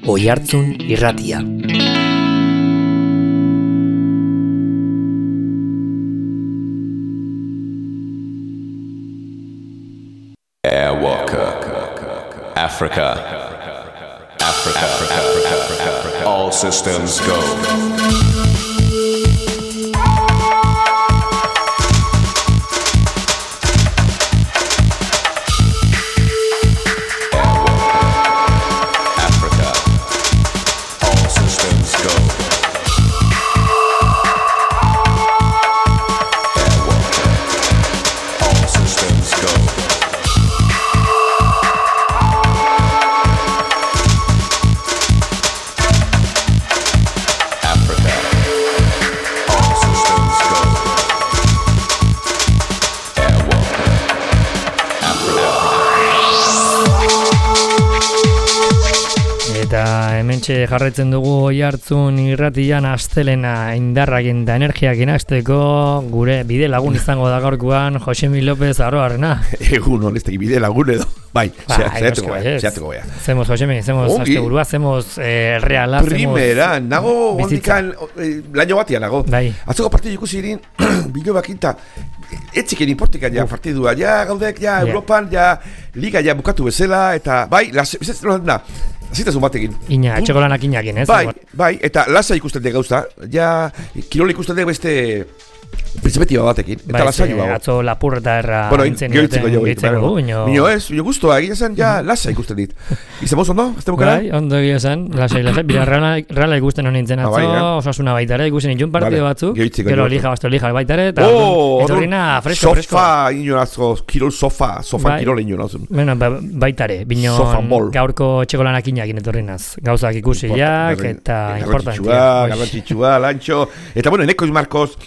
Oihartzun Irratia. Airwalker, Africa, all systems go. Hementxe jarraitzen dugu Oihartzun Irratian astelena indarrakin da energiakin hasteko gure bide lagun izango da gaurkoan Josemi López Aroarrena. Egun honesteki bide lagun edo. Bai, zeatuko bai. Hacemos Josemi, hacemos asteburua, hacemos reala, primera, nago ondikan laino batia nago. Bai. Atzoko partidu ikusi irin Bilobakinta etziken importika ja partidua, ja gaudek, ja Europan, ja Liga ja bukatu bezala, eta bai, zitasun batekin. Ina, etxekolanak inakin, ez? Bai, eta lasa ikusten dek gauza, ja kirol ikusten dek beste perspektiba batekin, eta lasaioa. Atzo lapurreta erra intzen Mino ez, guztua egia zen, ja lasa ikusten dit. Izamos ondo, azte bukara? Bai, ondo egia zen, lasai, bila reala ikusten honintzen atzo, osasuna baitare, ikusten itxun partido batzuk, gero lija baitare, eta etorrina fresko. Sofa, inorazko, kirol sofa kirol inorazun. Bueno, baitare, bino gaurko etxekolanak inakin etorrinaz, gauzak ikusiak, eta importantia. Garrantzitsua, lantxo, eta bueno, Neko Marcos,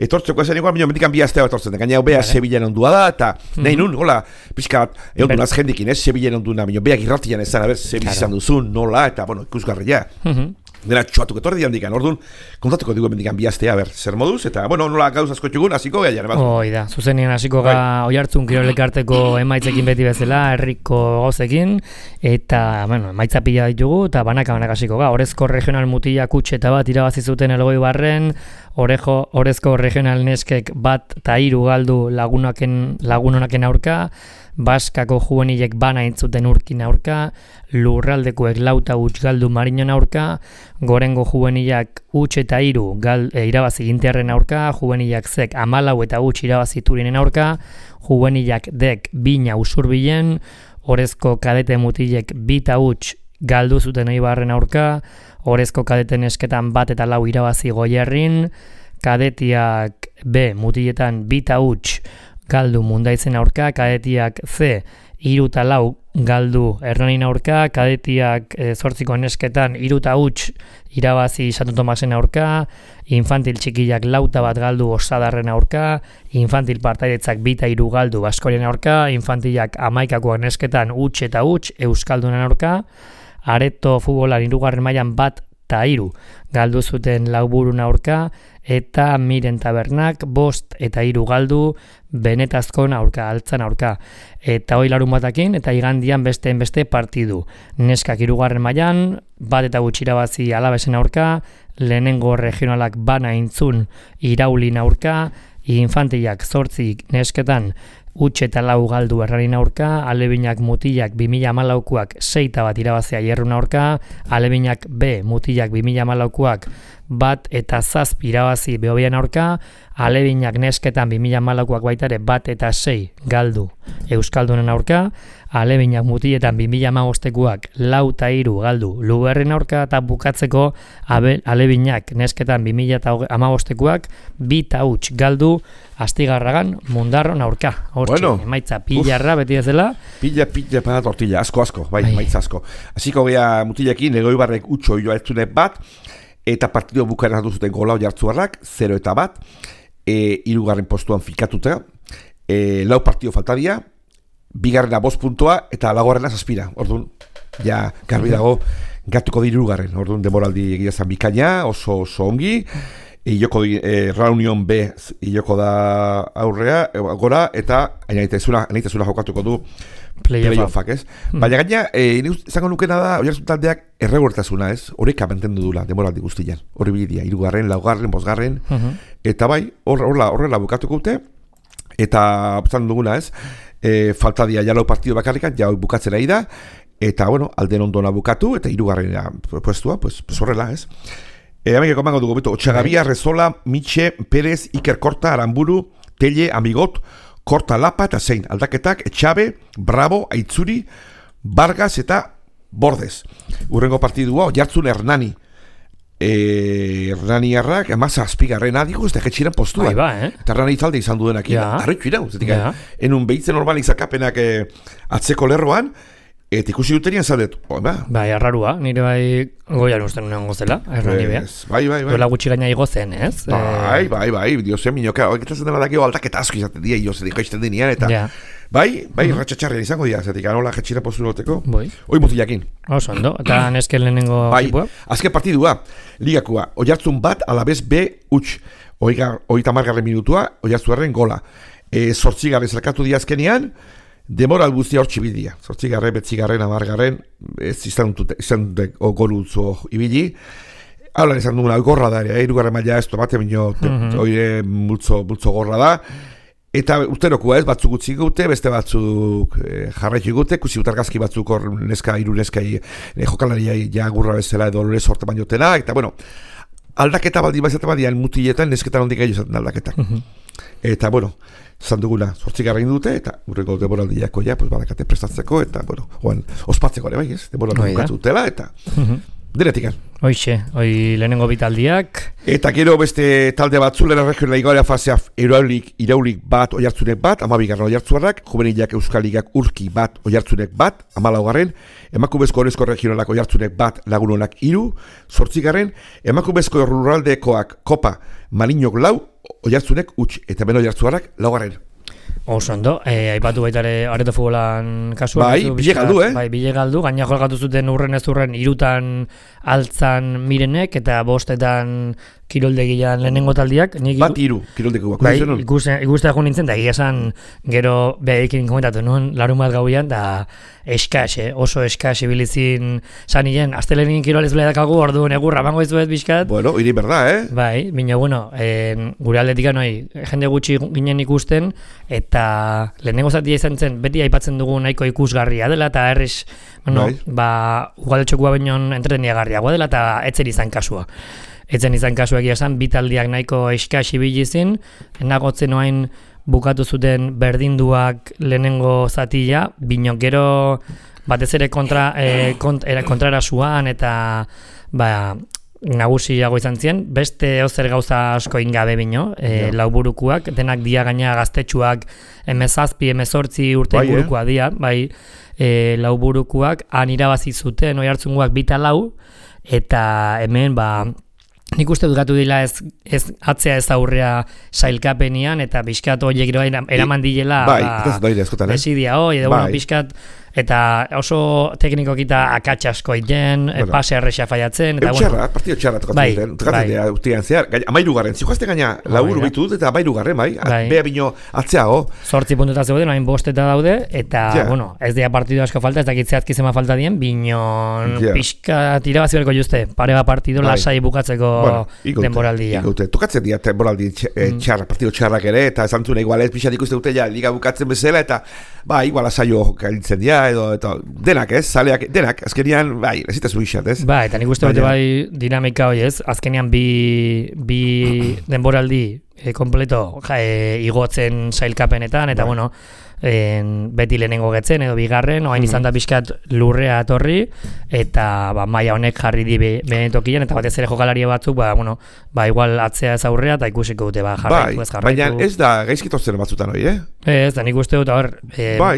etortzeko esan igual, mendikan bi astea etortzen, gaina bea Sevillan ondua da, eta nahi nun, hola, pixka bat, egon dunaz jendikin, Sevillan onduna, beak irratian ezan, Sevilla izan duzun, nola, eta, bueno, ikusgarria. Dena txuatuk etorri diandikan, orduan, kontatuko dugu mendikan bi astea, zer moduz, eta, bueno, nola gauz asko txugun, hasiko gaian, emaz. Da, zuzenien hasiko ga Oihartzun kirolekarteko emaitzekin beti bezala, herriko gauzekin, eta, bueno, emaitza pila ditugu, eta banaka hasiko ga, Orezko regional mutila kutxeta bat irabazi zuten Elgoibarren, Orezko regional neskek bat eta 3 galdu lagunonaken aurka, Baskako juvenilek bana intzuten Urkin aurka, Lurraldekoek 4 eta 8 galdu Mariñon aurka, Gorengo juvenilak 8 eta 3 irabazi Gintearren aurka, juvenilak zek 14 eta 8 irabazi Turinen aurka, juvenilak dek 2 Usurbilen, Orezko kadete mutilek 2 eta 8 galdu zuten Eibarren aurka, Orezko kadeten esketan 1 eta 4 irabazi Goierrin, kadetiak B mutiletan 2 eta 8 galdu Mundaitzen aurka, kadetiak C 3 eta 4 galdu Hernanin aurka, kadetiak 8 nesketan 3 eta 8 irabazi Santo Tomasen aurka, infantil txikiak 4 eta 1 galdu Osadarren aurka, infantil partaidetzak 2 eta 3 galdu Baskorien aurka, infantilak 11 nesketan 8 eta 8 Euskaldunen aurka, Areto futbolan 3. mailan 1 eta 3 galdu zuten Lauburun aurka, eta Miren Tabernak 5 eta 3 galdu Benetazkon aurka, Altzan aurka. Eta hoi larun batakin, eta igandian beste partidu. Neskak 3. mailan 1 eta 8 irabazi Alabesen aurka, lehenengo regionalak bana intzun Iraulin aurka, infantilak 8 nesketan 8 eta 4 galdu Herranin aurka, alebinak mutilak 2014koak 6 eta 1 irabazia Hierrun aurka, alebinak B mutilak 2014koak 1 eta 7 irabazi Behobian aurka, alebinak nesketan 2014koak baitare 1 eta 6 galdu Euskaldunen aurka, alebinak mutiletan 2015koak 4 eta 3 galdu Luberren aurka, eta bukatzeko alebinak nesketan 2015koak 2 eta 8 galdu Astigarragan Mundarron aurka. Hortxe, emaitza pilarra beti ez dela. Pila para tortilla, asko, bai, emaitza asko. Hasiko gea mutilekin, Elgoibarrek 8 joa etzune 1, eta partido bukaeran hartu zuten gola Oiartzuarrak, 0 eta 1, 3. postuan fikatuta, 4 partido faltabia, 2. 5 puntua, eta 4. 7. Orduan, ja, garbi dago, gatuko di 3. Orduan, demoraldi egia zan bikaina, oso ongi, Ioko Reunion B ioko da aurrea, gora, eta naitezula jokatuko du playoffak, ez? Baina gaina, izango nukena da, Oiartzun taldeak erregortasuna, ez? Horeka mantendu dula, demoraldi guztian. Hori bidia, 3., 4., 5. Eta bai, horrela bukatuko dute, eta zan duguna, ez? Falta dia ja lau partido bakarrikan, ja bukatzera da, eta, bueno, alden ondona bukatu, eta 3. puestua, pues horrela, ez? Amigeko mango dugu, beto, Otxagabia, Rezola, Mitxe, Perez, Iker Korta, Aramburu, Telle, Amigot, Korta, Lapa eta zein, aldaketak, Etxabe, Bravo, Aitzuri, Vargas eta Bordes. Urrengo partidua, Oiartzun Hernani. Hernani harrak, emaz azpigarren adiko, ez da jetxiren postua. Eta Hernani talde izan duenak, harritxu irau, zetik, enun behitzen normal izakapenak atzeko lerroan, eta ikusi dutenian zaldet, bai, arrarua, nire bai goian usten unean gozela, Hernani beha. Bai. Dola gutxi gaina igozen, ez? Bai, diozen minoka, horretazen dela dakio aldaketa asko izaten dira, iozen ikoizten dinean, eta bai, ratxatxarrean izango dira, zetik, anola jetxira postu loteko, hoi mutilakin. Oso, ondo, eta nesken lehenengo ekipua? Azken partidua, ligakua, Oiartzun bat, Alabez B, huts, 30. minutua, Oiartzuarren gola. 8. zelkatu diazkenean, demoral guztia hor txibidia. 8., 9., 10., ez izan dute golutzo ibili. Haulan izan duguna, gorra da, 3. maila ez tomate minio, oire multzo gorra da. Eta urterokua ez, batzuk utzi gute, beste batzuk jarraitu gute, kusi utargazki batzuk hor hiru neskai jokalaria ja gurra bezala edo lore sorte bainotena, eta bueno, aldaketa baldi baizate badian mutiletan nesketan hondik gehiago zaten aldaketak. Eta bueno, zan duguna, 8. dute, eta urrengo demoraldiako ja, pues badakate prestatzeko, eta bueno, ospatzeko ere bai, ez? Demoraldi bukatu dutela, eta diretikan. Hoixe, hoi lehenengo bitaldiak. Eta gero beste talde batzu, lehen regionala igoarea fasea iraulik bat, Oiartzunek bat, 12. Oiartzuarrak, juvenilak Euskaligak urki bat, Oiartzunek bat, 14. Emakumezko orezko regionalak Oiartzunek bat, Lagunonak 3, 8. Emakumezko ruraldekoak kopa, Malinok 4, Oiartzunek huts, eta ben Oiartzuarrak 4. Oso ondo, aipatu baitare areto futbolan kasua. Bai, bile galdu, Bai, bile galdu, gaina jolgatu zuten urren ez urren 3 altzan Mirenek eta 5 kiroldegian lehenengo taldiak. Bat 3 kiroldegiak. Bai, ikustea jo nintzen, da egia esan gero behaekin komentatu nuen, larun bat gauian, da eskas, oso eskas ibilizin sanien, astelenin kirolez bela dakagu, orduan egurra, bango izuet bizkat. Bueno, iri berda, Bai, bino, bueno, gure aldetikan jende gutxi ginen ikusten, eta lehenengo zatia izan zen, beti aipatzen dugu nahiko ikusgarria dela, eta errez, ugaltxokua bainon entreteniagarriagoa dela, eta etzen izan kasua. Etzen izan kasua egia esan, bitaldiak nahiko eskas ibilizin, nagotzen oain bukatu zuten berdinduak lehenengo zatia, bino gero batez ere kontrara zuan, eta nagusiago izan zien, beste ozer gauza asko ingabe bino, lauburukuak, denak dia gaina gaztetxuak 17, 18 urte burukoa dia, bai, lauburukuak han irabazi zuten Oiartzungoak 2-4, eta hemen nik uste dukatu dila ez atzea ez aurrea sailkapenian, eta pixkat horiek eraman dilela desidia hoi, edo pixkat, eta oso teknikokita akatsa asko iten, pase erresa faiatzen. Partido txarra tokatzen dira, urtean zehar, 13. Zijoazte gaina laburu bitu dut, eta 13. Bea bino atzeago. 8 puntuta zegoen, hain 5 daude, eta, bueno, ez dira partido asko falta, ez dakitzeazki zema falta dien, binon pixka tirabazi berko juzte, pare bat partido lasai bukatzeko denboraldia. Tokatzen dira denboraldi txarra, partido txarrak ere, eta esan zuen, igual ez pixat ikuste dute ja, liga bukatzen bezala, eta, igual asaio gailtzen dira, edo denak, zaleak, denak, azkenian, ezitaz buixat, ez? Eta nik uste bete dinamika hoi, ez? Azkenian bi denboraldi kompleto igotzen sailkapenetan, eta bueno, beti lehenengo getzen edo bigarren, oain izan da pixkat lurrea etorri, eta maila honek jarri di benetokian, eta batez ere jokalaria batzuk, igual atzea ez aurrea, eta ikusiko dute, jarraitu ez jarraitu. Baina ez da gaizkitotzen batzutan hori, Ez da, nik uste dut,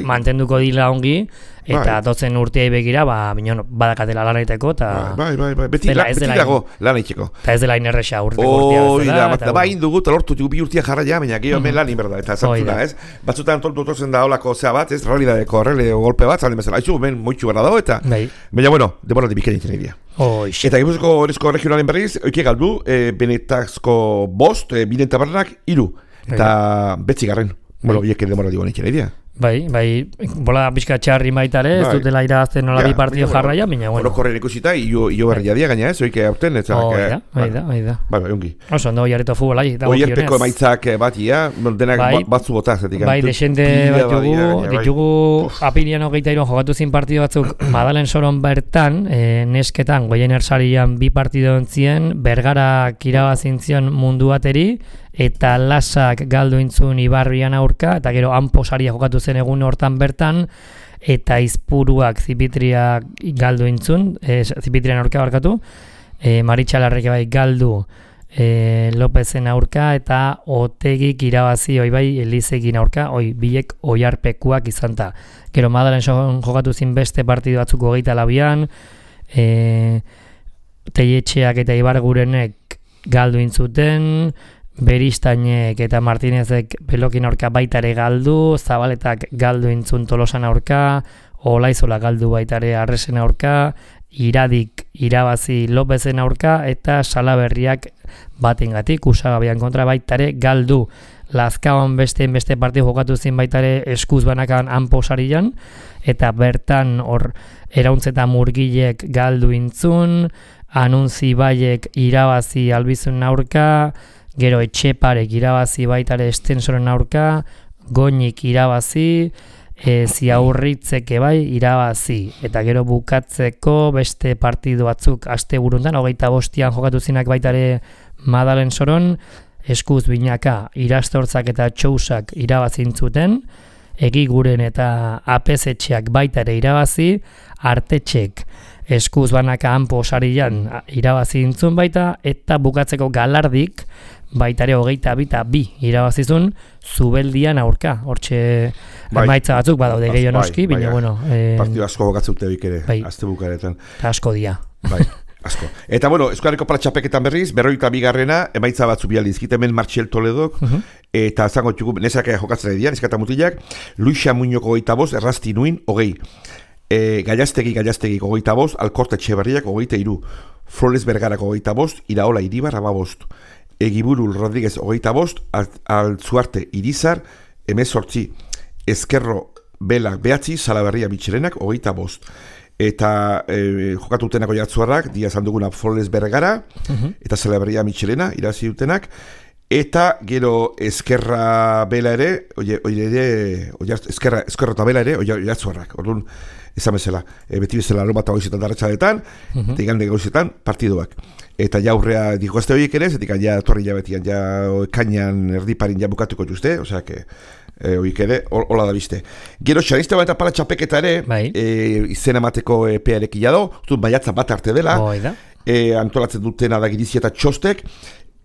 mantenduko dila ongi, eta dotzen urteai begira, badakatela lan egiteko, eta... Beti dago lan egiteko. Eta ez dela inerresa urteko urtea bezala. Bain dugu, lortu bi urtia jarraia, baina gehiago hemen lan inberda, eta zantzuna, ez? Batzutan totzen da holako zea bat, ez? Realidadeko golpe bat, zalden bezala. Aizu, hemen moitxu berda dago, eta... Baina, bueno, demoraldi bikain egiten egia. Eta Gipuzkoako Orezko Regionalen berriz, oike galdu, Benetazko 5, Binen Tabernak 3, eta 9. Bueno, bieken demoraldi guen egiten egia. Bai, bola pixka txarri baitare, ez dutela irabazten nola bi partido jarraia, baina bueno. Orokorren ikusita, io berria dia gaina, oike aurten, ez Bai da. Bai, ongi. Oso, ondo oiarrito futbolai. Oiarteko emaitzak batia, denak batzu bota, zetik. Bai, desente bat ditugu apirian 23 jogatu zin partido batzuk, Madalen Soron bertan, nesketan, goien ersarian bi partido ontzien, Bergarak irabazintzion mundu bateri, eta Lasak galdu intzun Ibarrian aurka, eta gero Anposaria jokatu zen egun hortan bertan, eta Izpuruak Zipitriak galdu intzun, Zipitrian aurka barkatu, Maritxalarrek bai galdu Lopezen aurka, eta Otegik irabazi bai Elizekin aurka, bilek oiarpekuak izanta. Gero Madalen jokatu zin beste partidu batzuk 24an, Teietxeak eta Ibargurenek galdu intzuten, Beristainek eta Martinezek Pelokin aurka baitare galdu, Zabaletak galdu intzun Tolosan aurka, Olaizola galdu baitare Arresen aurka, Iradik irabazi Lopezen aurka, eta Salaberriak batengatik Usagabian kontra baitare galdu. Lazkaon beste partidu jokatu zin baitare Eskuz banakan Anposarian, eta bertan hor Erauntz eta Murgilek galdu intzun, Anuntzi Baiek irabazi Albizun aurka, gero Etxeparek irabazi baitare Estensoren aurka, Goñik irabazi, Ziaurritzeke bai irabazi, eta gero bukatzeko beste partidu batzuk asteburuntan 25an jokatu zinak baitare Madalen Soron, Eskuz Binaka, Irastortzak eta Txousak irabazintzuten, Egiguren eta Apezetxeak baitare irabazi, Artetxek Eskuz banaka Anposarian irabazi intzun baita, eta bukatzeko Galardik baitare 22 irabazizun Zubeldian aurka. Hortxe emaitza batzuk badaude gehiago noski, baina bueno. Partidu asko bokatzeute bik ere, azte bukaretan. Eta asko dia. Bai, asko. Eta bueno, Euskarriko Palatxapeketan berriz, 42garrena, emaitza batzu bialdizkit, hemen Martxel Toledok, eta zango txugu, nesaka jokatzen edian, eskata mutilak, Luisa Muñoko 25, Errasti Nuin, 20. Gallastegi 25, Alkorte Etxeberriak 23, Flores Bergarak 25, Iraola Iribar 15, Egiburul Rodríguez 25, Altzuarte Irizar 18, Ezkerro Belak 9, Salaberria Mitxelenak 25. Eta jokatutenako jartzuarrak, dia esan duguna Flores Bergara, eta Salaberria Mitxelena irazi dutenak, eta gero Ezkerra Bela ere, Ezkerra eta Bela ere, jartzuarrak, orduan, ezan bezala, beti bezala aromata goizetan darratxadetan, eta igande goizetan partiduak. Eta jaurrea dikoazte horiek ere, zetik ja torri jabetian, ja kainan erdiparin ja bukatuko juzte, osea, horiek ere, hola da bizte. Gero, xanizte bat eta Palatxapeketa ere, izena emateko epearek ilado, maiatza bat arte dela, antolatzen dutena da Girizia eta Txostek,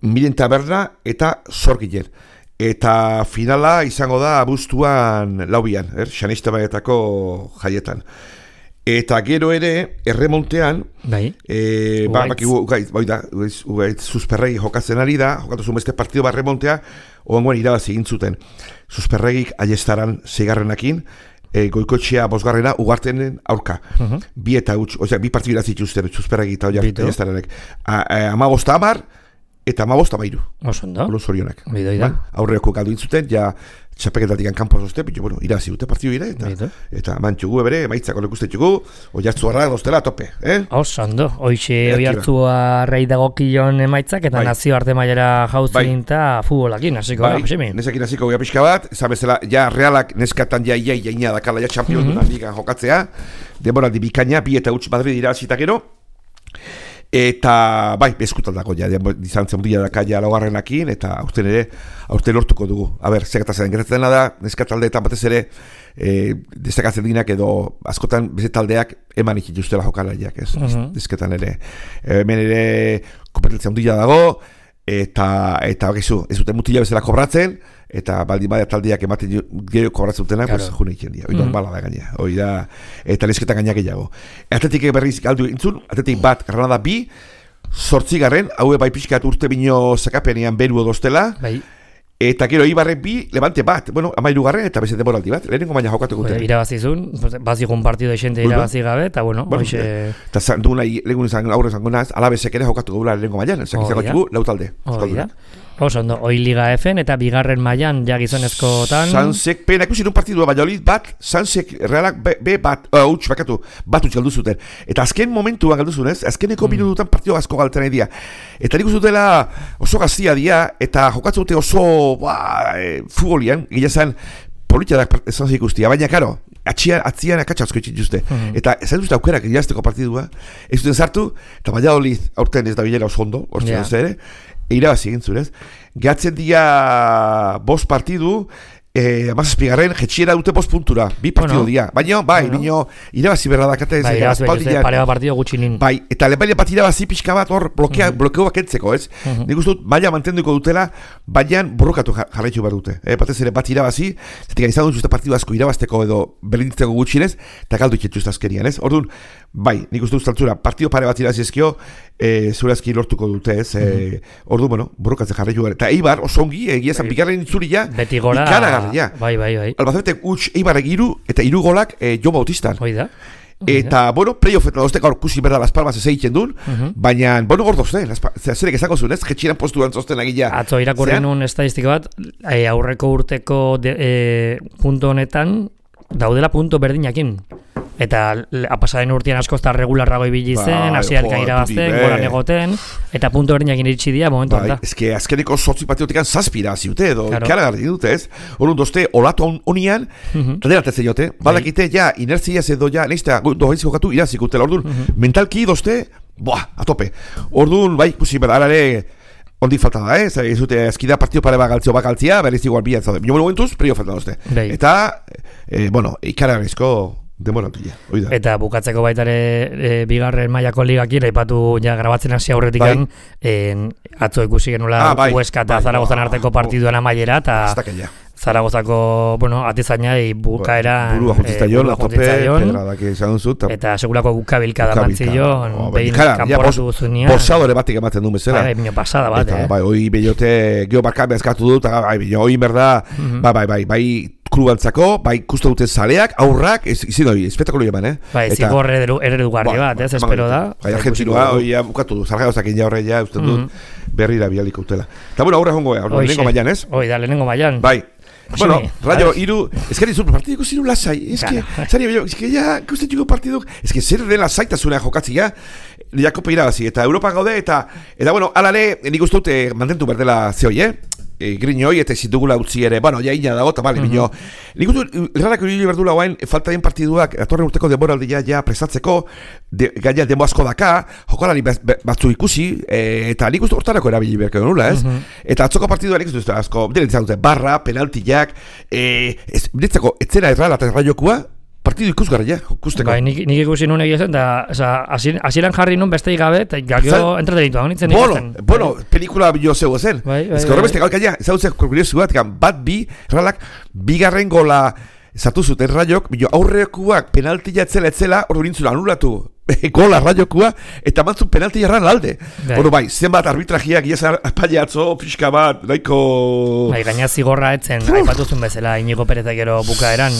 Miren Taberna eta Zorgilen. Eta finala izango da abuztuan laubian, xanizte batetako jaietan. Eta gero ere, erremontean, Zuzperregi jokatzen ari da, jokatu zuen beste partido bat erremontea, oangoen irabazi egin zuten. Zuzperregik aiestaran 6garrenakin, Goikotxea 5garrena ugartenen aurka. Bi partidu irazituzten Zuzperregi eta aiestaranek. 15 eta 15 Osondo. Zorionak. Bidoida. Aurreoko galdu intzuten, ja txapeketatik kanpo zozte, bitxo, bueno, irazi dute partidu ire, eta mantxugu ebere, maitzako lekustetugu, oiartzu harra doztela tope, Osondo, oixe oiartzu harrei dagokion emaitzak, eta nazio arte mailara jauzin eta futbolakin, hasiko da, Josemi. Nesakin hasiko gea pixka bat, esan bezala, ja realak neskatan jaina dakala, ja txampion dunan ligan jokatzea, demoraldi bikaina, 2 eta 8 Madrid irazita gero, eta bai, bezkutan dago ja, dizantzen mundila daka ja laugarrenakin, eta aurten lortuko dugu. Zegatazaren gertatzen da, neskataldeetan batez ere, destakatzen dinak edo askotan bezetaldeak eman ikituztela jokalaiak, ez? Dizketan ere, hemen ere kompetentzia mundila dago, eta bakizu, ez dute mutila bezala kobratzen, eta baldin badia taldeak ematen gero kobratzen dutenak, pues june iken dira, normala da gaina, eta nesketan gaina gehiago. Atletik berriz galdu intzun, Atletik bat, Granada 2, 8garren, haue bai pixkat urte bino zakapenean beru odostela, eta gero Ibarren 2, Levante bat, 13garren eta beste demoraldi bat, lehenengo baina jokatu guten. Irabazizun, bazikun partido esente irabazi gabe, eta hoxe... Eta lehenengo izan aurre zango naz, alabezek ere jokatu gula lehenengo maian, ezak izango txugu, lautalde. Oso ondo, hoi Liga F-en eta bigarren mailan ja gizonezkoetan. Sansek, pena ikusi nun partidua Valladolid bat, Sansek Realak bat huts galdu zuten. Eta azken momentuan galdu zuen, azkeneko minututan partido asko galtzen nahi dira. Eta nik uste dutela oso gaztia dira, eta jokatzen dute oso futbolian, gila zen politiadak esan ikustia, baina karo, atzian akatsa asko itxituzte. Eta ez dut aukerak irazteko partidua, ez duten sartu, eta Valladolid aurten ez da bilera oso ondo, orten ez ere, irabazi egin zurez. Gehatzen dia 5 partidu, Amazazpigarren, jetxiera dute 5 puntura, 2 partidu dia. Baina, bino, irabazi berra dakate. Bai, irabazi pareba partidu gutxinin. Bai, eta lepaile bat irabazi pixka bat hor blokeoak entzeko, ez? Nik uste dut, maila mantenduko dutela, baina borrokatu jarraitu behar dute. Batez ere bat irabazi, zetik izan dut partidu asko irabazteko edo berlintzeko gutxinez, eta galdu iketxuzta azkerian, ez? Orduan, bai, nik uste dut altzura, partidu pare bat irabazi ezkio, zurazki lortuko dute, ez? Orduan, bueno, borrokatzen jarraitu behar. Eta Eibar, oso ongi, egia zan, bigarren itzuria, beti gora, bai. Albacete huts Eibarrek 3 eta 3 golak Jon Bautistan. Oida. Eta, bueno, playoff eta dozte gaur kusi berda Las Palmas ez egiten dun, baina, bueno, gaur dozte, zerek ezako zuen, ez? Jetxiran postuan zozten agila. Atzo irakurri nun estadistika bat, aurreko urteko punto honetan, daudela punto berdinakin. Eta pasaren urtean askoz regularrago ibili zen, hasieratik irabazten, golan egoten, eta punto berdinakin iritsi dira momentu honetan. Eske azkeneko 8 partiotekan 7 irabazi dute edo ikaragarri dute, ez? Orduan dozte olatu honian, taderatzen jote, badakite ja inertzia edo ja neiztea dohaitzik jokatu irabazik utela. Orduan mentalki dozte, a tope. Orduan, bai, ikusi berare ondik falta da, ez dute eskida partido pare bagaltzia, berriz igual bian zaude. Bino momentuz, prio falta dozte. Eta, bueno, ikaragarrizko demorantilla, oida. Eta bukatzeko baitare bigarren mailako ligakin, aipatu ja grabatzen hasi aurretikan, atzo ikusi genula Huesca eta Zaragozan arteko partiduan amaiera, eta Zaragozako, bueno, atizainai bukaera burua juntzitaion, pedradak izan duzut. Eta segulako bukabilka da mantzilon, behin kanporatu guzunean. Borsadore batik ematen duen bezala. Bai, pasada bat, Bai, hoi bellote geobarkan bezkatu dut, hoi berda, bai, klubantzako, bai, kustu duten zaleak, aurrak, izin hori, espektakulu eman, Bai, zigor eredugarri bat, ez, espero da. Bai, argentinua, hoi bukatu du, zargagozak ja horre ja, usten dut, berrira bialiko utela. Eta, bueno, aurra jongo, lehenengo mailan, ez? Hoi da, lehenengo mailan. Bai. Bueno, Rayo, eskari zuen partidiko ziru lasai, eske ja, ikusten jugo partiduk, eske zer den lasaitasuna jokatzia, Jakopo irabazi, eta Europa gaude, eta bueno, alare, nik uste dut mantentu berdela zeoi, Griñoi eta ezin dugula utzi ere, bueno, ja ina dago, eta bale, bino. Nik uste, errarak hori berdula guain, falta den partiduak, atorren urteko demoraldia ja prestatzeko, gaina demo asko daka, jokalari batzu ikusi, eta nik uste hortarako erabili berko nula, ez? Eta atzoko partidua nik uste asko, direntzat dute, barra, penaltiak, direntzako, etzera errala eta erraiokua, partidu ikusgarria, ikusteko. Bai, nik ikusi nun egia zen, eta hasieran jarri nun besteik gabe, eta gero entretenitu nintzen ikusten. Bueno, pelikula bilo zeu zen. Ez que horrebeste galkaia, zauzek kuriosu bat bi, erralak, bigarren gola zartu zuten Rayok, aurrekuak penaltia etzela, hor nintzula anulatu. Gola Rayokua, eta mantzun penalti jarran alde. Bueno, bai, zenbat arbitrajiak iazar apaiatzo, pixka bat, nahiko... Bai, gaina zigorra etzen, aipatuzun bezala, Inigo Perezak gero bukaeran,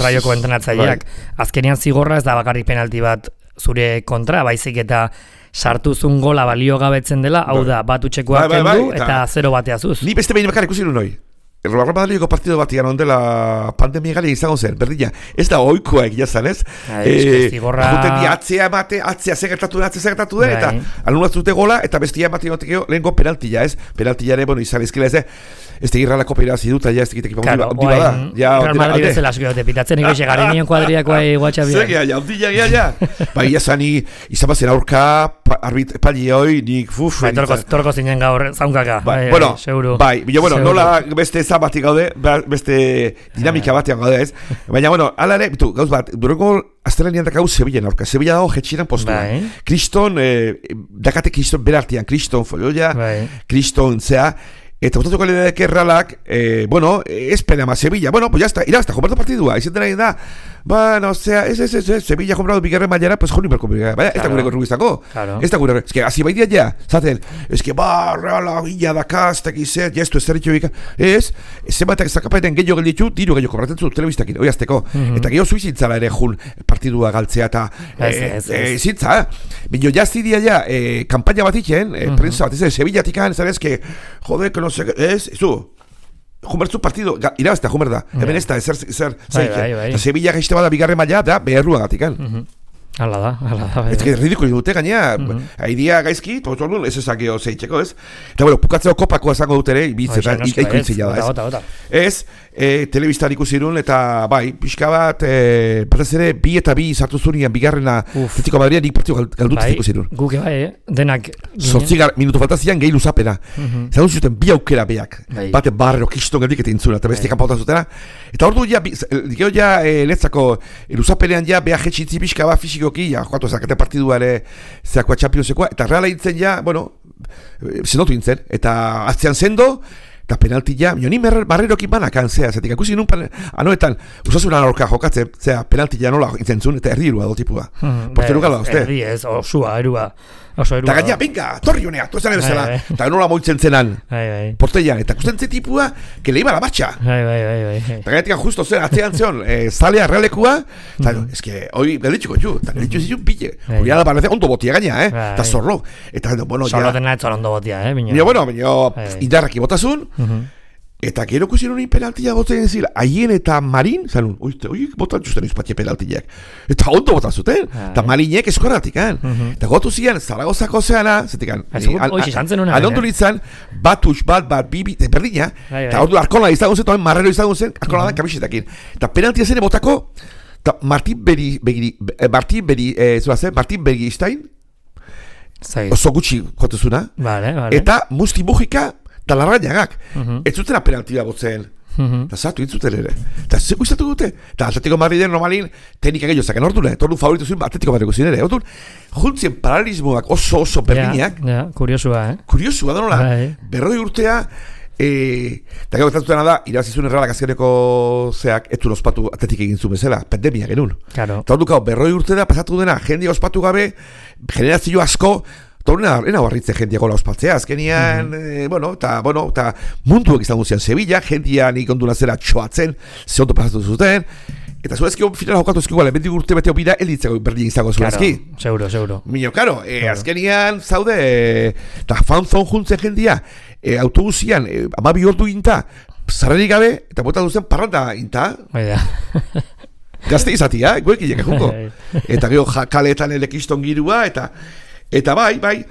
Rayoko entrenatzaileak. Azkenean zigorra ez da bakarrik penalti bat zure kontra, baizik eta sartuzun gola balio gabetzen dela, hau da, bat utxekoak kendu, eta 0 bateazuz. Ni beste behin bakar ikusi nun hoi. Real Madrideko partido batian ondela pandemia gali izango zen, berdina. Ez da oikoa egia zan, ez? Zigorra... Juten di atzea segertatu den, eta alunatzute gola, eta bestia ematen goteko lehenko penaltilla, ez? Penaltillare, bueno, izan izkila ez, ez tegirralako peirazi dut, ja ez tegitek ipamundi bada. Real Madrid bezala asko pitatzen ikusi, gari nion kuadriakoa guatxabian. Zegia, jaudilla, ja. Ba, ia zani, izan bazen aurka, pali hoi, nik, torko zinen gaur, zaunkaka, seguru. Bai, bueno, nola beste batik gaude, beste dinamika batean gaude, ez? Baina, bueno, ala ere, gauz bat, dureko aztelenian dakau Sevillan aurka. Sevilla dago jetxiran postuan. Kriston, dakate Kriston berartian, Kriston folioia, Kriston zea, eta botatuko lehenek erralak, bueno, espera ma Sevilla, bueno, pues ya está, irabazta, jompartu partidua, izan dena da, bueno, Sevilla comprado bigarren mailara, pues joni berko bigarren maila, ez da gure gorru izango. Ez da gure, eske, hasi baidia ja, zaten, eske, reala, gila dakaz, tekizet, jestu ez zerritxo bika, zenbatak zakapaeten gehiago gelditu, diru gehiago kobratzen zu telebistakin, hori azteko. Eta gehiago zuizintzala ere jun partidua galtzea eta zintza, bineo jaztidia ja, kampaina bat itxen, prensa bat, Sevillatik han, zarezke, jode, que no sé, Jumertzu partido, irabaztea Jumerda, hemen ez da, zer zaitxe. Sevilla gaizte bada bigarren maila, da, beherrua gatikan. Hala da. Ez que ridikuli dute gainea, haidia gaizki, ez ezakio zeitzeko, ez? Eta bueno, pukatzeo kopakoa zango dut ere, bizeta, ikuitzila da, ez? Telebistan ikusirun, eta bai, pixka bat, batez ere, 2 eta 2 sartu zunian, bigarrena, Atletico Madrid, nik partidu galdutuz ikusirun. Guke bai, denak. 8 minutu faltazian, gehi luzapena. Zagun zuten, 2 aukera beak. Bate barrero kiston geldik eta intzuna, eta bestia kanpautan zutena. Eta ordu ja, dikeo ja, letzako, luzapenean ja, beha jetxitzi pixka bat fisikoki, ja, joatu ezakete partidua ere, zeakoa Championsekoa, eta reala intzen ja, bueno, zendotu intzen, eta aztean zendo, eta penalti ja, ni barrerokin banakan, zetik, akusi nun anoetan, usasunan aurka jokatzen, penalti ja nola intzen zuen, eta erdi irua dotipua. Porteru gala, uste? Erdi ez, osua, erua. Eta gaina, venga, torri honea, tu esan bezala, eta nola moitzen zenan, porteian, eta kusten ze tipua, que le iba la marcha. Eta gainetik justo zen, atzean zeon, zalea realekua, eta ez que, hoi, galditxuko ju, eta galditxu zizun pille, hori ala parece ondo botia gaina, eta zorro, eta, bueno, ja... Zorro dena etzor ondo botia, indarraki botazun, eta gero kusieron penaltia botzen zila, haien eta Marin, zanun, oik botan justen izpatie penaltiak, eta ondo botan zuten, eta Marinek eskorratik, eta gotu zian, Zaragozako zeana, zetikan, alondu nintzen, bat, bibi, berdina, eta ordu arkola izagun zen, marrero izagun zen, arkola da kabixetakin, eta penaltia zen botako, eta Martin Bergistain, oso gutxi jotezuna, eta Musti Mujika, eta larrainagak, ez zutena penaltia botzen, eta zatu intzuten ere, eta zeko izatu dute, eta Atletico Madriden normalin teknika gehiago zaken ordune, tordu favoritu zuen Atletico Madrid guzien ere, ordun, juntzien paralelismoak oso berdinak, kuriosua da nola, 40 urtea, eta gero gertatutena da, irabazizun erralak azkeneko zeak, etu ospatu Atletik egin zuen bezala, pandemia genuen, eta ordukau 40 urte da, pasatu dena, jendia ospatu gabe, generazio asko, Torna barritze jendia gola ospatzea, azkenian, eta munduak izan guzian Sevilla, jendia nik onduna zera txoatzen, ze ondo pasatu zuten, eta zuezki final jokatu ezki guale, bendik urte beteo bida, elditzeko berdin izango zuezki. Seguro. Minio, karo, azkenian zaude, eta fanzon juntzen jendia, autobusian, 12 ordu inta, zarrerik gabe, eta bota duzen parranda inta. Gazte izatia, guekilek ejuko. Eta gero kaletan elekiston girua, eta bai,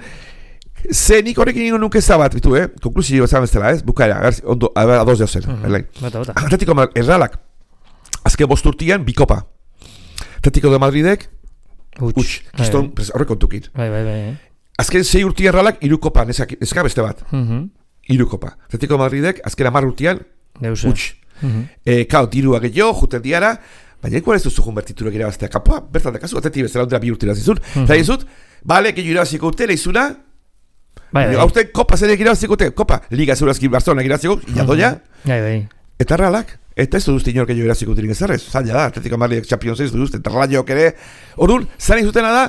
ze nik horrekin ingo nuke zabat, bitu, konklusio zaben zela, bukaera, ondo, adoz deo zen, Atletico erralak, azken 5 urtian, bikopa. Atletico de Madridek, kiston, horrek kontukin. Azken 6 urtian erralak, 3 kopa, neska beste bat. 3 kopa. Atletico de Madridek, azken 10 urtian, kao, dirua gehiago, juten diara, baina ikuan ez duzu junbertiturak irabaztea kapoa, bertan dakazu, Atleti bezala ondera 2 urte irazizun, eta izut, bale, gehiago irabaziko urte, lehizuna, haute kopa zenek irabaziko urte, kopa, Liga Zeurazkin Barcelona irabaziko, inadoia, eta erralak, eta ez duzte inork gehiago irabaziko urte ingezarrez, zaila da, Atletico Madrid Champions ez duzte, eta raiok ere, orduan, zaren izutena da,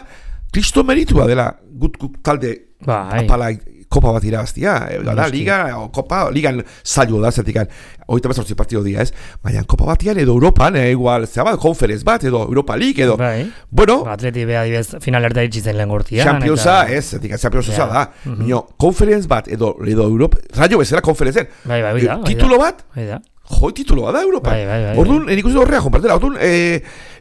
kristo meritua dela, gut talde apala kopa bat irabaztia, Liga, kopa, Ligan zailo da, zertikan, 38 partido dia, ez? Baina, kopa batian edo Europan, igual, zera konferenz bat, edo Europa League, edo, bueno... Atleti beha dibez, final erda itxitzen lehen gortian. Championsa, ez, zertikan, Championsa da. Mino, konferenz bat, edo Europa, raio bezala konferenzen. Titulo bat, titulo bat da Europa. Orduan, nik uste horrea jonpartela, orduan,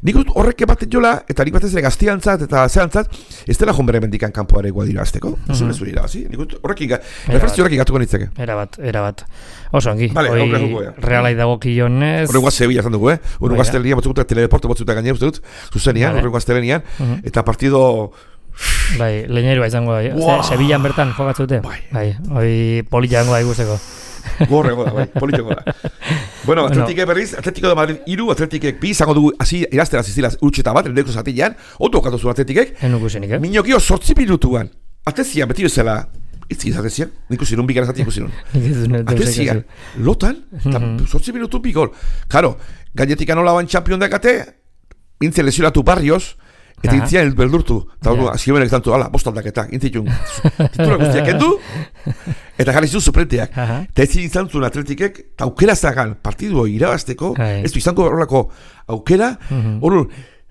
nik uste horrek baten jola, eta nik batez ere gaztiantzat eta zeantzat, ez dela jonbere mendikan kanpoare guadira azteko. Zure irabazi, nik uste horrekin, referentzio horrekin gatuko nitzeke. Erabat. Oso ongi, realai dago kionez. Horrengoa Sevilla zan dugu, horrengo gaztelenian, batzukutak teledeporte batzukutak gaine, uste dut, zuzenian, horrengo gaztelenian, eta partido... Bai, leñerua izango da, Sevillan bertan jokatzute. Bai, hoi polita jango da ikusteko. Gorrego da, bai, politxongo da. Bueno, Atletikek berriz, Atletico de Madrid 3, Atletikek 2, izango dugu, iraztera zizilaz urtseta bat, endeko zatilean, ondo okatu zuen Atletikek. Enukusenik, Minokio 8 minutuan. Atlezian, beti bezala, itzik Atlezian, ikusinun, bigara zati ikusinun. Atlezian, lotan, 8 minutun bi gol. Karo, gainetik anola ban champion dekate, intzen lesionatu Barrios, eta intzian beldurtu. Eta hori, azkibenek tantu, ala, bostaldaketa, intzitun. Titular guztiak endu, eta jarri zuen suplenteak. Eta ez izan zuen atletikek, eta aukera zagan, partidu irabazteko, ez du izango horrelako aukera, hori,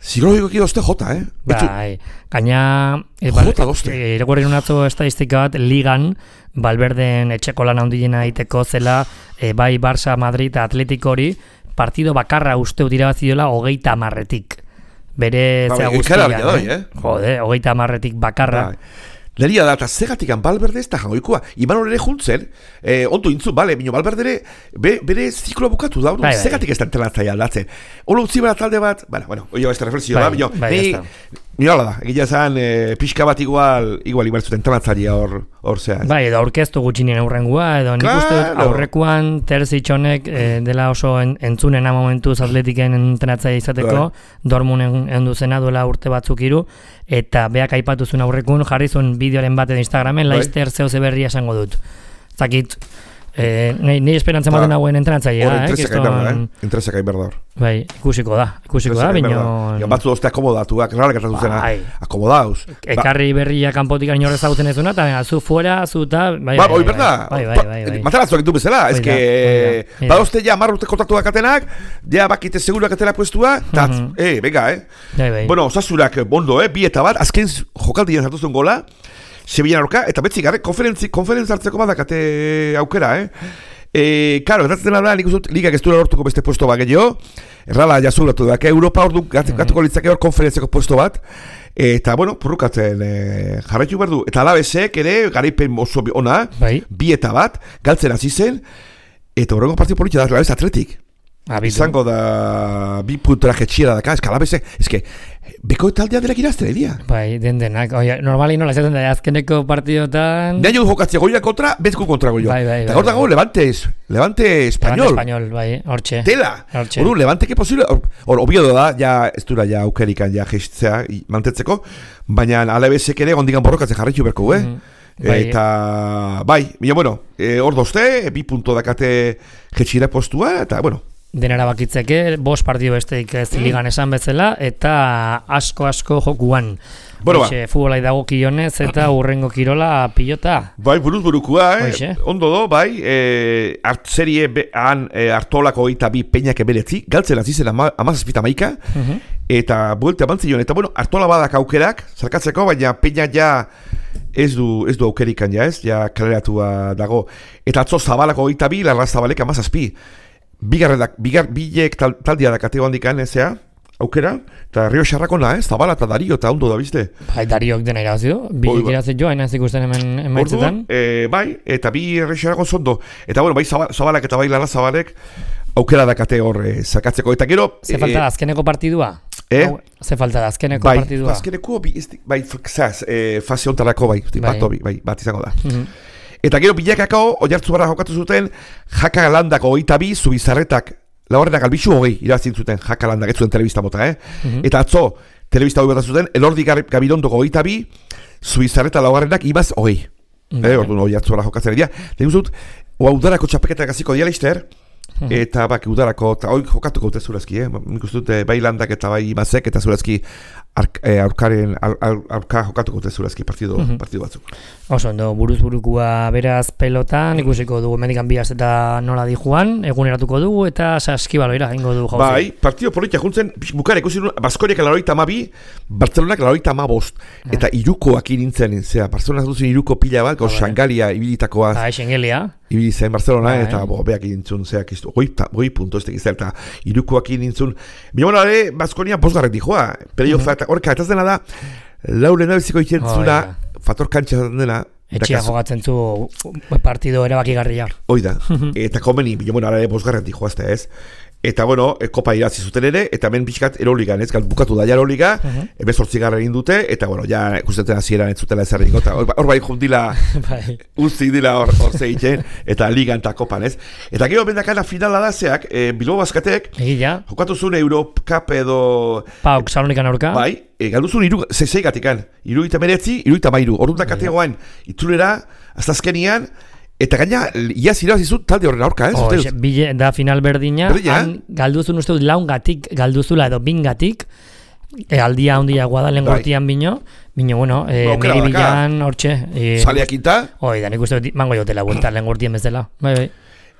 psikologikoki dozte jota, Bai, gaina... Jota dozte. Irakurri unatzo estadistika bat, ligan, Valverden etxeko lan handiena egiteko zela, bai Barça, Madrid, Atletiko hori, partido bakarra usteu irabazi dola 30-tik. Bere zea guztian, Jode, 30-tik bakarra. Leria da, eta zegatikan Valverde ez da jangoikoa. Imanol ere juntzen, ondu intzun, bale, minio Valverde ere, bere zikloa bukatu da, zegatik ez da entrenatzea aldatzen. Olo utzi bera talde bat, bueno, oio ez da reflexio da, minio, nire da, egila zan, pixka bat igual ibarzuten entrenatzaia hor zean. Bai, edo aurkeztu gutxinien aurrengua, edo nik uste aurrekoan Terzitxonek dela oso entzunena momentuz atletiken entrenatzaia izateko, Dortmunden endu zena duela urte batzuk hiru, eta beak aipatu zuen aurrekun, jarri zuen bideoren baten Instagramen, Leicester zehose berria esango dut. Zakit, nahi esperantza maten hauen entrenatzaia, Interesak hain berdor. Bai, ikusiko da, bino... Batzu dozte akomodatuak, rara gertatu zena, akomodauz. Ekarri berria kanpotik inorrez zagutzen ez duna, eta zu fuera, zu eta... Bai, Mataraztuak ditu bezala, ez que... Badozte ja marrute kontaktuak atenak, ja bakite seguruak atela puestua, eta, venga, Bueno, osasurak bondo, bi eta bat, azken jokaldien zartu zuen gola, Sevillan aurka, eta betzik, konferentzia hartzeko badakate aukera, Karo, gertatzen da, nik uzut, ligak ez duela lortuko beste puesto bat gehiago, errala jazulatu da, Europa hor du gatuko litzake hor konferentziako puesto bat, eta, bueno, purrukatzen jarraitu behar du, eta alabezek ere, garaipen oso ona, bi eta bat, galtzen hasi zen, eta horrengo partidu politia da, alabez atletik. Izango da, bi puntora jetxiera daka, eska alabezek, eske, beko taldea delak irazten edia. Bai, denak, normali nola esaten da, azkeneko partidotan... Neaino jokatzea goia kontra, bezko kontra goia. Eta gaur dago, Levante Español. Español, bai, hortxe. Tela! Hor Levante que posible, hor obiedo da, ja, ez dura, ja, aukerikan, ja, gestzea, mantetzeko, baina alabezek ere, ondigan borrokatzen jarritu berko, Eta, bai, bueno, hor dozte, bi punto dakate jetxiera postua, eta, bueno, denera bakitzeke, 5 partido besteik ez ligan esan bezala, eta asko jokuan. Futbolai dago kionez, eta urrengo kirola pilota. Bai, buruz-burukua, ondo do, bai, serie hartolako eta bi peinak ebeletzi, galtzen azizen 17-amaika, eta buelta bantzion, eta bueno, hartola badak aukerak, zarkatzeko, baina peina ja ez du aukerikan, ja kaleratua dago. Eta atzo Zabalako eta bi, Larra Zabalek 17. Bilek taldia da kateo handikan, aukera, eta Rio Xarrakona, Zabala eta Dario, eta ondo da, bizte? Bai, Dariok dena irabazidu, bilek irazit joa, hain ikusten hemen maitzetan. Bai, eta bi Rio Xarrakon zondo. Eta bueno, bai Zabalak eta bai Larra Zabalek aukera da kate hor zakatzeko. Eta gero... Ze falta da azkeneko partidua? Ze falta da azkeneko partidua? Bai, azkeneko, fase ontarako, bat izango da. Eta gero bilakako, oiartzu barra jokatu zuten, Jaka Landak 22, Zubizarretak, Laurrenak Albixu 20, irazin zuten Jaka Landak, ez zuten telebista mota, Eta atzo, telebista hori bat zuten, Elordi Gabirondoko 22, Zubizarreta Laurrenak Ibaz 20. Orduan oiartzu barra jokatzen edia. Lehen zut, udarako txapeketak aziko dialister, eta bak udarako, eta hori jokatuko dute zurazki, nik uste dute bai Landak eta bai Ibazek, eta zurazki aurka jokatuko dute zurazki partidu batzuk. Oso, buruz-burukua beraz pelotan, ikusiko dugu medikan biaz eta nola di joan, eguneratuko dugu eta saskibaloira ingo du jauzi. Bai, partido politia juntzen, bukara ikusi duen, Baskoriak 82, Bartzelonak 85, eta irukoak inintzen, Bartzelonak duzen iruko pila bat, Xangalia ibilitakoa. Xangalia. Ibili zen Barcelona, eta beak inintzun, goi punto ez tekiz, eta irukoak inintzun. Bimona ere, Baskonia 5 dijoa, playoff eta horka, eta dena da, lauren abeziko ikentzuna, fator kantxa dena. Etxia jogatzen zu partido erabakigarria. Oida, eta komeni, bimona ere 5 dijoazte ez. Eta bueno, kopa irazi zuten ere, eta hemen pixkat Euroligan, bukatu da ja Euroliga, 18 egin dute, eta bueno, ja ikustetan hasieran ez zutela ezer egingo, eta hor bai jundila, uzik dila hor zeiten, eta ligan eta kopan, ez? Eta gero bendakana finala da zeak, Bilbao Baskatek, jokatu zuen Eurocup edo... Pauk, Salonikan aurka? Bai, galdu zuen 6 gatikan, 79, orduan dakategoan, itzulera, aztazkenian, eta gaina, iaz irabazizut talde horren aurka, bile da final berdina, han galduzun uste dut laungatik, galduzula edo bingatik, aldia handia guadalen gortian bino, bueno, niri bilan hortxe. Saleak inta? Da nik uste mango jotela buelta lehen gortien bezala. Bai.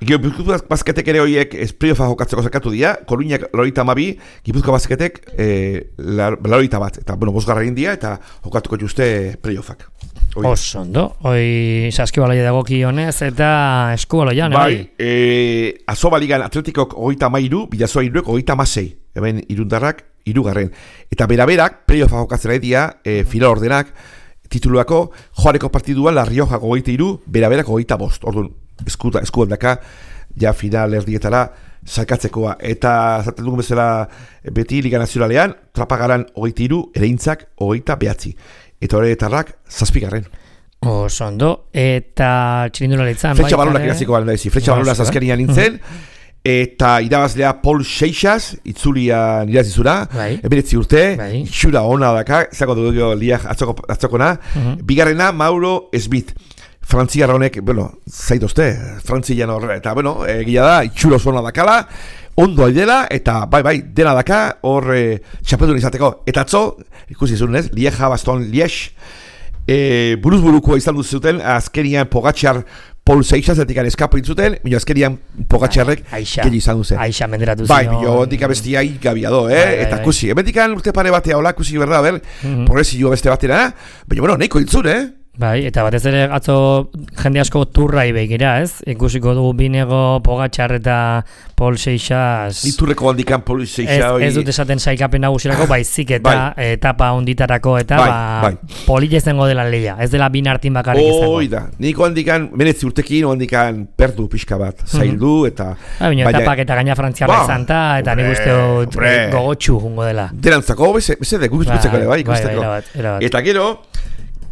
Gipuzkoa basketek ere horiek playofa jokatzeko zakatu dira, Koruñak 82, Gipuzkoa basketek 81, eta bosgarra india eta jokatuko juste playoffak. Oso ondo, saskibaloia dagoki honez eta eskubaloian, bai? Azoba ligan Atletikok 33, Bidasoa 36, hemen Irundarrak 3. Eta beraberak playoffa jokatzera edia, final ordenak, tituluako joareko partiduan La Rioja 23, beraberak 25. Orduan, eskuan daka, ja final erdietara salkatzekoa. Eta zaten dugun bezala beti Liga Nazionalean, Trapagaran 23, Ereintzak 29. Eta horretarrak 7. Oso ondo, eta txirindularitzan Fletxa balonak iraziko garen daisi, Fletxa balonak azkenian nintzen, eta irabazlea Paul Seixas, itzulian irazizura, 19 urte, itxura ona daka, zako dugu liak atzokona, bigarrena Mauro Smith, frantziarra honek, zaitozte, frantzian horre, eta egia da, itxura oso ona dakala, ondo aidela, eta bai, dena daka, hor txapetun izateko, eta atzo, ikusi zuen ez, Lieja Baston Liege, buruz-burukoa izan duzuten, azkenian Pogačar Paul Seixas etikan eskapu intzuten, minio azkenian Pogačarrek gehi izan duzen. Aixa menderatu bai, ondik abestia gabiado, eta kusi, emetikan urte pare batea hola, kusi berda, progresioa beste batera, baina, neiko intzun, Bai, eta batez ere atzo jende asko turrai begira, ez? Ikusiko dugu Binego, Pogačar eta Paul Seixas. Iturreko handikan Paul Seixas. Ez dut esaten saikapen nagusirako, baizik eta etapa onditarako eta polilla izango dela leia. Ez dela bin hartin bakarrik izango. Da, niko handikan, menetzi urtekin, handikan perdu pixka bat, zaildu eta... Etapak eta gaina frantziarra izan eta nik uste dut gogotxu jungo dela. Derantzako, bezede, gubitzeko ere, ikusteko. Eta gero...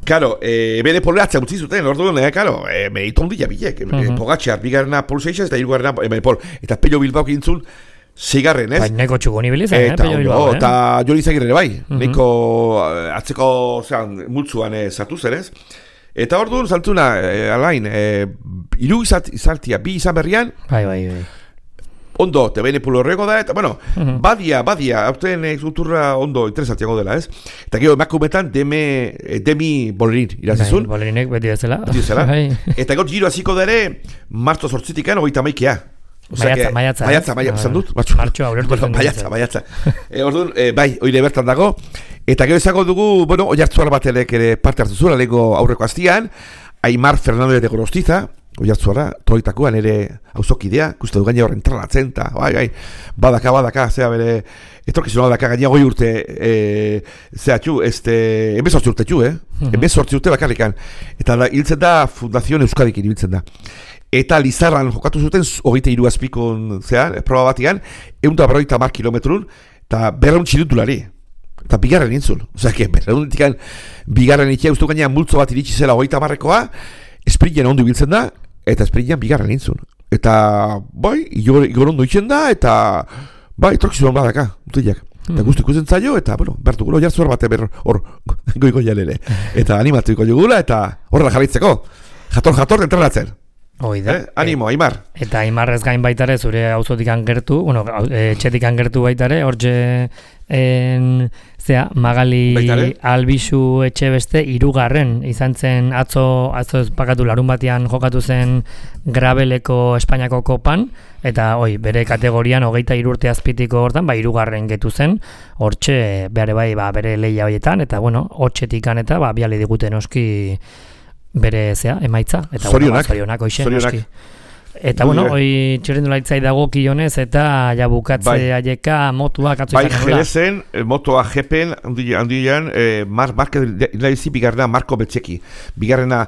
Karo, bere poleatzea utzi zuten, orduan, merito ondila bilek. Pogačar, bigarrena Paul Seixas, eta hirugarrena Paul. Eta Pello Bilbao kintzun, 6. ez? Neko txuko nibilizan, Pello Bilbao, Eta Joni Zagirre bai, neko atzeko, multzuan sartu zer, ez? Eta orduan, saltuna, alain, 3 izaltia, 2 izan berrian, bai. Ondo, te bene pulo horrego da, eta, badia, hauten zuturra ondo interesatiago dela, ez? Eta gero, emakumetan, Demi Bolerin, irazizun? Bolerinek beti bezala. Eta gero, giro hasiko dere, marzo 8-tikan, 38. Maiatza, esan dut? Martxoa, ulertu. Maiatza. Orduan, bai, oire bertan dago. Eta gero esango dugu, oiartzuar batelek ere parte hartu zuen, alego aurreko hastian, Aimar Fernández de Gorostiza, oiartzuara, troitakoan ere auzokidea, kuste du gaina horren tralatzen, eta badaka, zera bere, etorkizuna badaka gaina 8 urte, zera txu, 18 urte txu, 18 urte bakarrikan, eta hiltzen da Fundazion Euskadikin hiltzen da. Eta Lizarran jokatu zuten, 23 azpikon, zera, proba batian, 150 kilometrun, eta 200 txilutulari. Eta bigarren nintzun. Osea, berreunetikan bigarren ikia ustu gaina multzo bat iritsi zela 30-koa, esprintzen ondo ibiltzen da, eta esprintzen bigarren nintzun. Eta, igor ondo itzen da, eta, etorkizun badaka, mutilak. Eta guztu ikusten zailo, eta, bertu gulo jartzuar bate hor goiko jalere. Eta animatuiko jugula, eta horrela jarraitzeko. Jator, entrenatzen. Animo, Aimar. Eta Aimarrez gain baitare, zure auzotikan gertu, etxetikan gertu baitare, hortxe Magali Albizu etxe beste 3. izan zen atzo ez pakatu larun batean jokatu zen Grabeleko Espainiako kopan, eta bere kategorian 23 urte azpitiko hortan, 3. getu zen, hortxe bere leia horietan, eta hortxetikan eta biale diguten oski bere emaitza, eta zorionak oski. Eta txirrindularitzai dago kionez, eta bukatze aieka motuak atzo izan nola. Jerezen, motoa jepen, handian, bigarrena Marko Beltzeki. Bigarrena,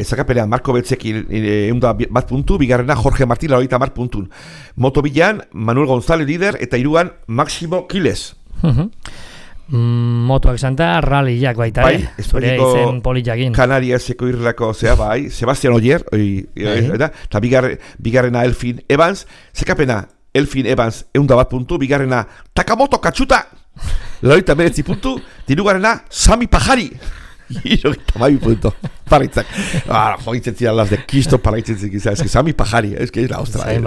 zakapenean Marko Beltzeki 1 puntu, bigarrena Jorge Martín 30 puntun. Moto bilan, Manuel González lider, eta 3 Máximo Quiles. Motoak santa, ralliak baita, zure izen polijakin. Kanariaseko irrelako, Sebastian Oyer, eta bigarrena Elfin Evans, zekapena Elfin Evans 1 puntu, bigarrena Takamoto Katsuta, 29 puntu, dirugarrena Sami Pajari, 32 punto, paraitzak. Joitzen zidan las de Kisto paraitzen zidan, Sami Pajari, es la ostra. Sami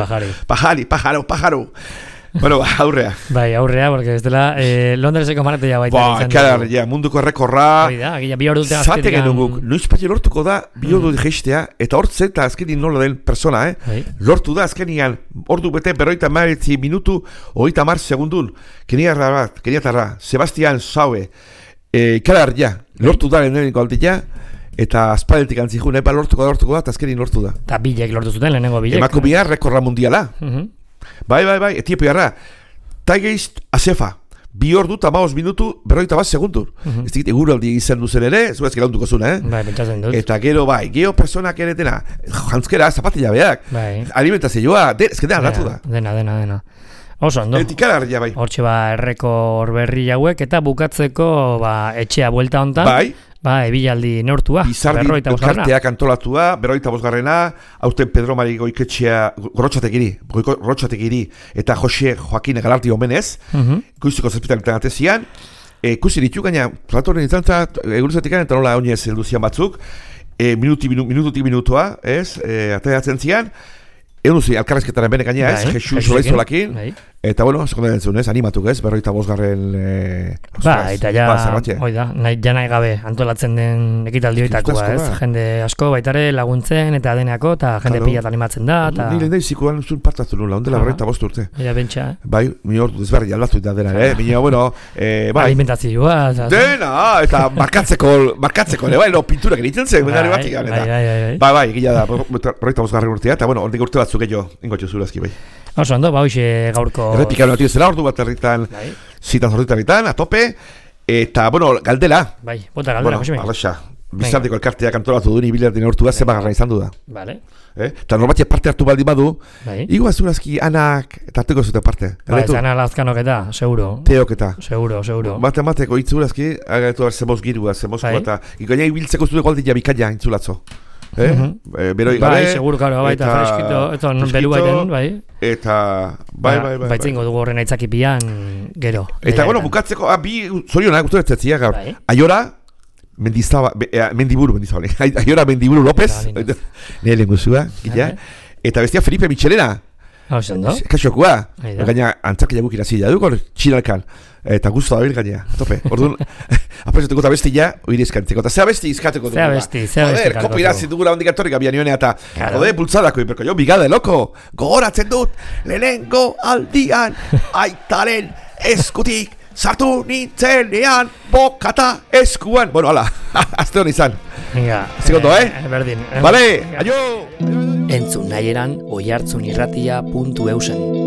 Pajari. Pajaro. Bueno, aurrea. Bai, aurrea, porque ez dela Londreseko maratea baita. Ja, munduko errekorra. Hoi da, bi hor dute Zate genuguk, noiz patxe lortuko da, bi hor dute geistea, eta hortzen eta azkenin nola den persona, lortu da azkenian, ordu bete, berroita maritzi minutu, 30 segundun, keniatarra, Sebastian Saue, lortu da lehenengo aldia, eta aspaldetik antzijun, lortuko da, eta azkenin lortu da. Eta bilek lortu zuten, lehenengo bilek. Emako biar rekorra mundiala. Bai, Etiopiarra, Taigeist Asefa, 2 ordu eta 5 minutu, 41 segundur. Ez dikit, eguraldi izan duzen ere, zuez gelauntuko zuna, Bai, pentsatzen dut. Eta gero personak eretena, jantzkera, zapatila beak, alimentazioa, ezketan aldatu da. Dena. Oso, ondo. Etikalarria, bai. Hortxe errekor berri hauek, eta bukatzeko etxea buelta hontan. Ebilaldi neurtua. Bizardi karteak antolatua, 45. Aurten Pedro Mari Goiketxea Gorrotxategiri eta Jose Joaquin Galarti omenez, Kuiziko zazpitaletan atezian, kuzi ditu gaina, platoren izantza, eguruzatik eta nola oinez helduzian batzuk, minututik minutua, ateratzen zian, egun duzi, alkarrezketaren bene gaina, Jesus Solaizolakin, eta bueno, sekundan entzun, animatuk, 45. Eta ja, oida, nahi gabe antolatzen den ekitaldioitakoa, jende asko baitare laguntzen, eta deneako, eta jende pilat animatzen da, eta... Nire nahi zikuan zuen partatzen nula, ondela 45 urte. Ea bentsa, Bai, mi hor desberri aldatu eta dena, Bina, bueno, bai... Alimentazioa, dena, eta markatzeko, pinturak egiten zen, batik, bai, gila da, 45 urtea, eta bueno, ordik urte batzuk gehiago, ingotxo zurazki, bai. Oso, ondo, hoxe gaurko... Errepikaren atu ezela, ordu bat herritan, zitan zorritan, a tope, eta, bueno, galdela. Bai, bota galdela, Josemi. Arraxa, bizarteko elkarteak antolatu duen ibilardin hortu bat, zeba garra izan du da. Vale. Eta norbatia parte hartu baldi badu, igo azurazki anak, eta hartuko zute parte. Ba, ez ana lazkanok eta, seguro. Teok eta. Seguro. Mateko itzurazki, agatu zemoz girua, zemozko eta, ikoina ibiltzeko zute goldia bikaina intzulatzo. Beroi gabe, bai, seguro, karo, baita freskito, eta belu baiten, bai. Eta, bai. Baitzengo dugu horren aitzakipian, gero. Eta, bueno, bukatzeko, bi zorionak, guztu ez gaur. Aiora, Mendiburu López, nire lenguzua, eta bestia Felipe Michelena. Kaxokua, gaina antzarkia guk irazila duko, txinalkan. Eta guztu da bil gaina, tope. Orduan, apresetuko eta bestia, oire izkantzeko. Eta zea besti izkateko dugu. Zea besti. Joder, kopo irazi dugula hondik atorrik abian nioenea eta, joder, bultzadako, iperko jo, bigade, loko, gogoratzen dut, lehenengo aldian, aitaren eskutik, sartu nintzenean, bokata eskuan. Bueno, hala, azte hon izan. Zikondo, Berdin. Vale, aio! Entzun nahi eran, oihartzunirratia.eusen.